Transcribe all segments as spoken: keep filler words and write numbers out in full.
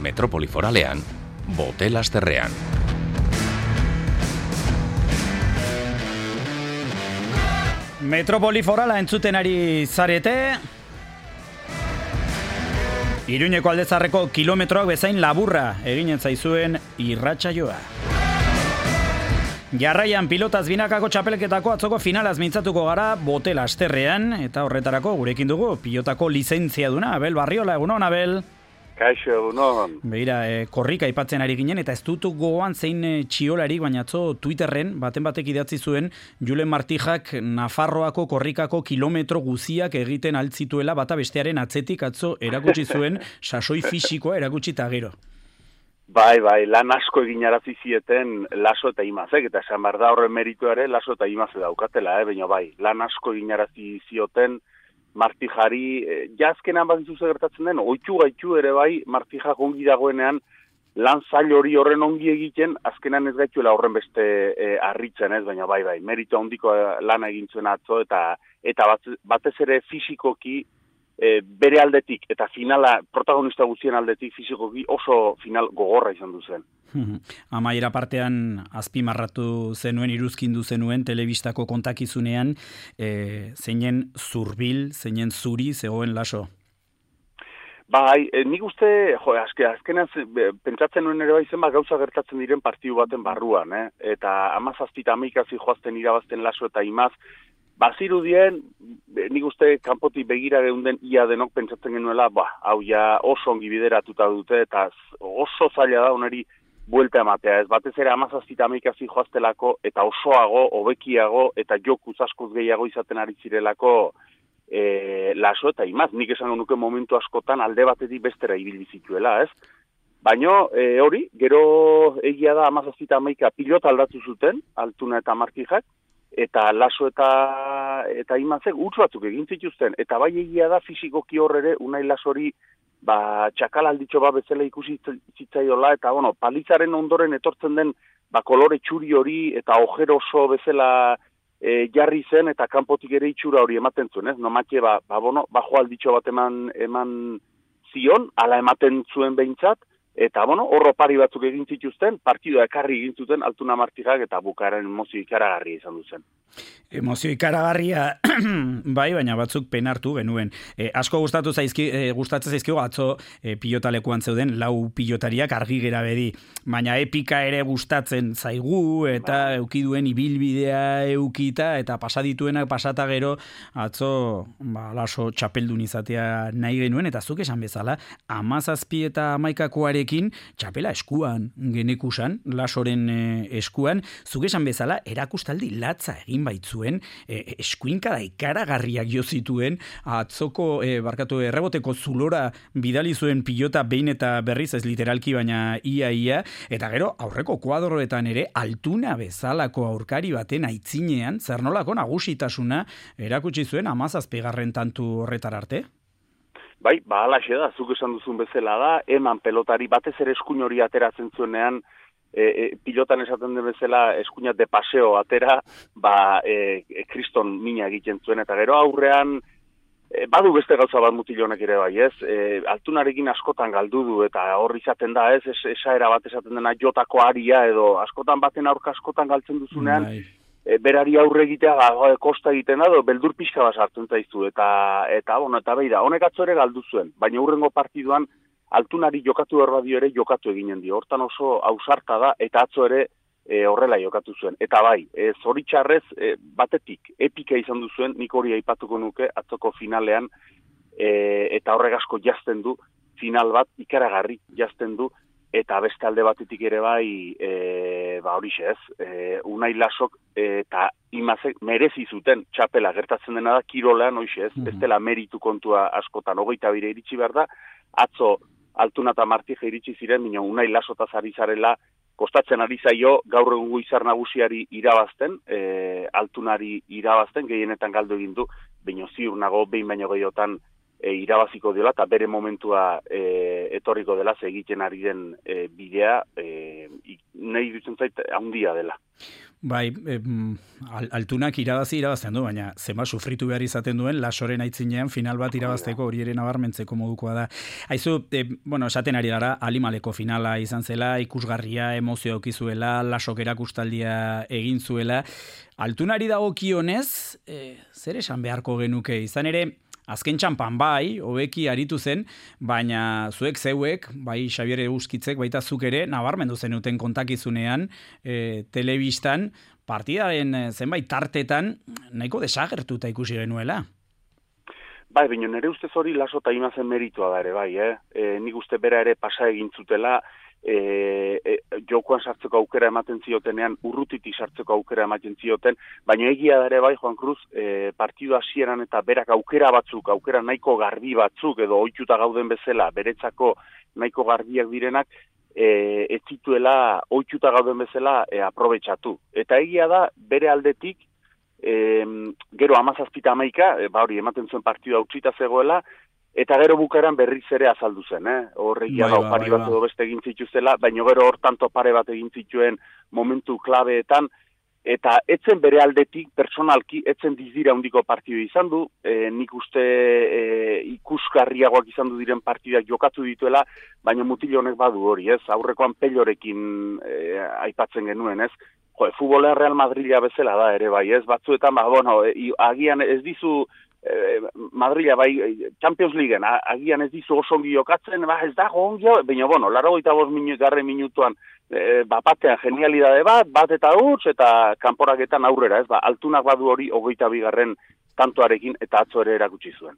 Metropoli Foralean, Bote Lasterrean. Metropoli Forala entzuten ari zarete. Iruñeko aldezarreko kilometroak bezain laburra eginen zaizuen irratsaioa. Jarraian pilotaz binakako txapelketako atzoko finalaz mintzatuko gara Bote Lasterrean, eta horretarako gurekin dugu pilotako lizentziaduna Abel Barriola. Egunon, Abel? Kaixo, egunon. Begira, e, korrika aipatzen ari ginen, eta ez dutu gogoan zein e, txiolarik, baina atzo Twitterren, baten batek idatzi zuen, Julen Martijak Nafarroako korrikako kilometro guziak egiten altzituela bata bestearen atzetik atzo erakutsi zuen sasoi fisikoa erakutsi eta gero. Bai, bai, lan asko egin arazi zieten Laso eta Imazek, eta esan behar da horren meritu ere Laso eta Imaze daukatela, eh? Baina bai, lan asko egin arazi zioten Martijari, eh, jazkenan bat izuze gertatzen den, oitxu gaitu ere bai, Martijak ongi dagoenean lan zail hori horren ongi egiten, azkenan ez gaituela horren beste eh, harritzen ez, baina bai, bai, meritu handiko lana egin zuen atzo, eta, eta bat, batez ere fisikoki, E, bere aldetik eta finala protagonista guztien aldetik fisikoki oso final gogorra izan du zen. Amaiera partean azpimarratu zenuen, iruzkindu zenuen telebistako kontakizunean, e, zeinen zurbil, zeinen zuri zegoen Laso. Bai, e, nik uste, jo, azke, azkenan pentsatzen nuen ere bai zenbat gauza gertatzen diren partidu baten barruan, eh? Eta amazazpita amaikazi joazten irabazten Laso eta Imaz, bazirudien, nik uste kanpotik begira geunden ia denok pentsatzen genuela, ba, hau ja oso ongi bideratuta dute, eta oso zaila da oneri buelta ematea, ez batez ere amazazpita amaikazi joaztelako, eta osoago, hobekiago, eta jokuz askoz gehiago izaten ari zirelako e, Laso eta Imaz. Nik esango nuke momentu askotan alde batetik bestera ibili zituela, ez? Baina e, hori, gero egia da amazazpita amaika pilota aldatu zuten, Altuna eta Martijak, eta Laso eta eta Imazek utz batzuk egin zituzten, eta bai egia da fisikoki hor ere Unai Lasori ba txakal alditxo bat bezala ikusi zitzaiola, eta bueno, palizaren ondoren etortzen den ba kolore txuri hori eta ojero oso bezala e, jarri zen, eta kanpotik ere itxura hori ematen zuen, ez? Nomatxe ba ba bueno, bajo alditxo bat eman eman zion, hala ematen zuen behintzat. Eta, bueno, horro pari batzuk egin zituzten, partidua ekarri egin zuten Altuna Martijak, eta bukaeren emozio ikaragarria izan duzen. Emozio ikaragarria, bai, baina batzuk penartu genuen. E, asko gustatu zaizki, e, gustatzen zaizkigu atzo e, pilotalekuan zeuden lau pilotariak argi gera bedi, baina epika ere gustatzen zaigu, eta ba. Eukiduen ibilbidea eukita, eta pasadituenak pasata gero, atzo ba, Laso txapeldun izatea nahi genuen, eta zuk esan bezala, amazazpi eta amaikakoare txapela eskuan genekusan, Lasoren e, eskuan, zuk esan bezala erakustaldi latza egin baitzuen, e, eskuinka da ikaragarriak jo zituen, atzoko e, barkatu erreboteko zulora bidali zuen pilota behin eta berriz, ez literalki baina ia ia, eta gero aurreko kuadroetan ere Altuna bezalako aurkari baten aitzinean, zer nolako nagusitasuna erakutsi zuen amazazpigarren tantu horretar arte? Bai, ba, alaxe da, zuk esan duzun bezala da, eman pelotari, batez ere eskuin hori ateratzen zuenean, e, e, pilotan esaten den bezala eskuinat de paseo atera, ba, e, e, kriston mina egiten zuen, eta gero aurrean, e, badu beste gauza bat mutilonek ere bai, ez? E, Altunarekin askotan galdu du, eta hor izaten da, ez? Es, esaera bat esaten dena jotako aria, edo askotan baten aurka askotan galtzen duzunean, bai. E, berari aurre egitea e, kosta egiten da, beldur pixka bat sartzen zaizu, eta, eta, bueno, eta beira, honek atzo ere galdu zuen, baina hurrengo partiduan Altunari jokatu behar badio ere jokatu eginen dio, hortan oso ausarta da, eta atzo ere e, horrela jokatu zuen, eta bai, e, zoritxarrez e, batetik, epika izan du zuen, nik hori aipatuko nuke atzoko finalean, e, eta horrek asko jazten du, final bat ikaragarri jazten du, eta beste alde batetik ere bai, e, ba hori ez, e, Unai Lasok e, eta Imazek merezi zuten txapela gertatzen dena da kirolean, hoize ez, mm-hmm. Ez dela meritu kontua askotan, hogeita bire iritsi behar da, atzo Altuna eta Martija iritsi ziren, baina Unai Lasotaz ari zarela, kostatzen ari zaio gaur egungo izar nagusiari irabazten, e, Altunari irabazten, gehienetan galdu egin du, baina ziur nago behin baino gehiotan E, irabaziko dela, eta bere momentua e, etorriko dela, ze egiten ari den e, bidea, e, nahi dutzen zait handia dela. Bai, em, altunak irabazi irabazten du, baina zema sufritu behar izaten duen Lasoren aitzinean final bat irabazteko hori ere nabarmentzeko modukoa da. Aizu, e, bueno, esaten ari gara, Alimaleko finala izan zela, ikusgarria, emozio aukizuela, Lasok erakustaldia egin zuela. Altunari dagokionez, e, zer esan beharko genuke, izan ere, azken txampan bai, hobeki aritu zen, baina zuek zeuek, bai Xabier Euskitzek, baita zuk ere, nabarmendu zenuten kontakizunean, e, telebistan, partidaren zenbait tartetan, nahiko desagertuta ikusi genuela. Bai, baina nire ustez hori Laso eta Imazen meritua da ere, bai, eh? E, nik uste bera ere pasa egin zutela, E, e, jokoan sartzeko aukera ematen ziotenean, urrutiti sartzeko aukera ematen zioten, baina egia da ere bai, Juan Cruz, e, partidu hasieran eta berak aukera batzuk, aukera nahiko garbi batzuk, edo ohituta gauden bezala, beretzako nahiko garbiak direnak, e, ez zituela ohituta gauden bezala e, aprobetxatu. Eta egia da, bere aldetik, e, gero hamazazpita hamaika, e, ba hori, ematen zuen partidua utzita zegoela, eta gero bukaeran berriz ere azaldu zen, eh? Horregia da, opari bat edo beste egin zituztela, baina gero hortan topare bat egin zituen momentu klabeetan, eta etzen bere aldetik, personalki, etzen dizdira handiko partidu izan du, e, nik uste e, ikusgarriagoak izan du diren partidak jokatu dituela, baina mutil honek badu hori, ez? Aurrekoan Pellorekin e, aipatzen genuen, ez? Jo, futbolean Real Madrila bezala da ere bai, ez? Batzuetan, ba, bueno, e, agian ez dizu Madrila bai Champions Leagueen agian ez dizu oso ongi jokatzen, ba ez dago ongi, baina bueno, laurogeita bost minu, garre minutuan e, ba, batean genialidade bat, bat eta huts eta kanporaketan aurrera, ez ba, Altunak badu hori hogeita bigarren tantoarekin eta atzo ere erakutsi zuen.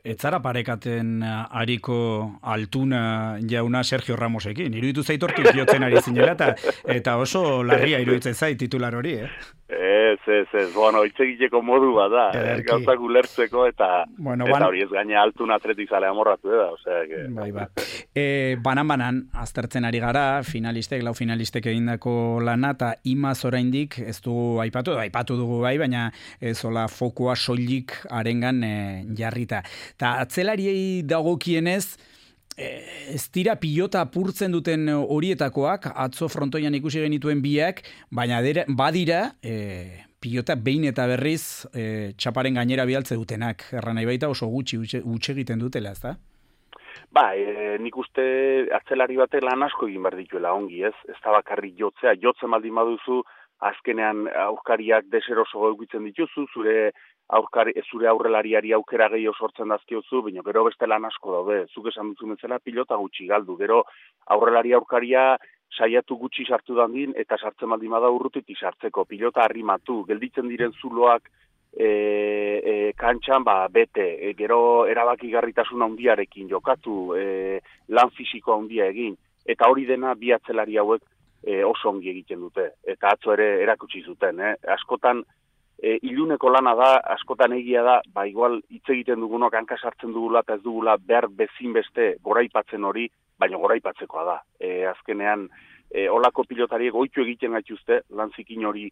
Etzara parekaten ariko Altuna jauna Sergio Ramosekin. Iruditu zaitortu jotzen ari zinela eta, eta oso larria iruditzen zait titular hori, eh? Ez, ez, ez, bueno, itzegiteko modu bat da, eh, gauzak ulertzeko eta, bueno, eta hori ez gaina Altuna atletik zale amorratu da, osea, que... Bai, ba. E, banan-banan, aztertzen ari gara, finalistek, lau finalistek egindako lana, eta imaz oraindik ez dugu aipatu, aipatu dugu bai, baina ez hola fokoa soilik arengan e, jarrita. Ta atzelariei dagokienez, ez dira pilota apurtzen duten horietakoak, atzo frontoian ikusi genituen biak, baina dira, badira e, pilota behin eta berriz e, txaparen gainera bialtze dutenak. Erra nahi baita oso gutxi utxe egiten dutela, ez da? Ba, e, nik uste atzelari batek lan asko egin behar dituela ongi, ez? Ez da bakarrik jotzea, jotzen baldin baduzu, azkenean aurkariak deseroso edukitzen dituzu, zure aurkari, zure aurrelariari aukera gehiago sortzen dazkiozu, baina gero beste lan asko daude, zuk esan duzu bezala pilota gutxi galdu, gero aurrelari aurkaria saiatu gutxi sartu dandin, eta sartzen baldin bada urrutitik sartzeko, pilota arrimatu, gelditzen diren zuloak e, e, kantxan, ba, bete, e, gero erabakigarritasun handiarekin jokatu, e, lan fisiko handia egin, eta hori dena bi atzelari hauek e, oso ongi egiten dute, eta atzo ere erakutsi zuten, eh? Askotan, E, iluneko lana da, askotan egia da, ba igual hitz egiten dugunok hanka sartzen dugula eta ez dugula behar bezin beste goraipatzen hori, baina goraipatzekoa da. E, azkenean, e, olako pilotariek ohitu egiten gaituzte, lan zikin hori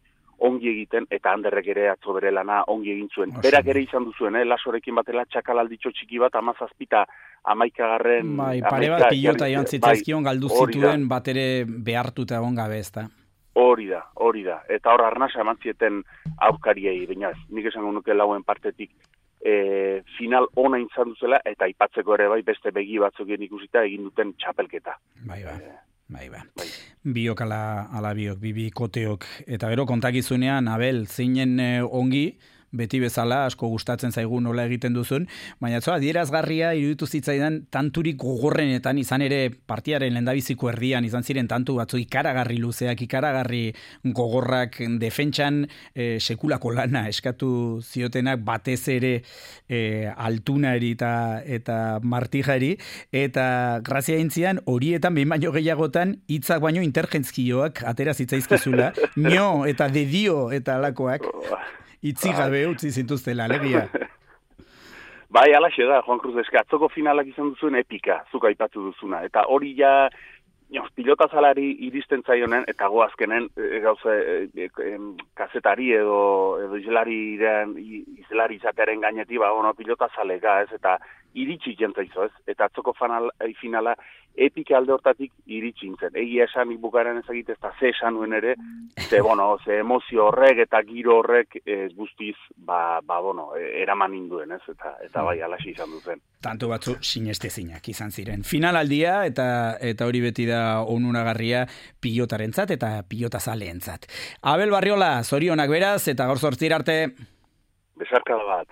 ongi egiten, eta Anderrek ere atzo bere lana ongi egin zuen. Oso. Berak ere izan duzuen, eh? Lasorekin batela txakalalditxo txiki bat, amazazpita, amaikagarren... Bai, pare bat pilota joan zitzaizkion galdu zituen bat ere behartuta egon gabe ez da. Hori da, hori da. Eta hor arnasa eman zieten aurkariei, baina nik esango nuke lauen partetik e, final ona izan duzela, eta aipatzeko ere bai beste begi batzukien ikusita egin duten txapelketa. Bai, bai. Bai, bai. bai. Biok ala, ala biok, bibi koteok. Eta gero kontakizunean, Abel, zeinen eh, ongi, beti bezala, asko gustatzen zaigu nola egiten duzun, baina atzo adierazgarria iruditu zitzaidan tanturik gogorrenetan, izan ere partiaren lehendabiziko erdian, izan ziren tantu batzu ikaragarri luzeak, ikaragarri gogorrak defentsan e, sekulako lana eskatu ziotenak batez ere e, Altunari eta, eta Martijari, eta grazia intzian horietan behin baino gehiagotan hitzak baino intergentzkioak atera zitzaizkizula, nio eta dedio eta alakoak. Itzi gabe utzi zintuztela, alegia. Bai, alaxe da, Juan Cruz, eska, atzoko finalak izan duzuen epika, zuk aipatu duzuna. Eta hori ja, no, pilota zalari iristen zaionen, eta goazkenen, e, gauze, e, e, kazetari edo, edo izlari, izlari izatearen gainetik, ba, bueno, pilota zalega, ez, eta iritsi jentzaizo, ez? Eta atzoko fanal, finala epike alde hortatik iritsi nintzen. Egia esan bukaren ezagite, ez da ze esan nuen ere, ze, bueno, ze emozio horrek eta giro horrek e, guztiz, ba, ba, bueno, eraman induen, ez? Eta, eta bai, alaxi izan duzen. Tanto batzu sinestezinak izan ziren. Finalaldia eta eta hori beti da onunagarria pilotarentzat eta pilotazaleentzat. Abel Barriola, zorionak beraz, eta gaur zortzira arte. Besarkada bat.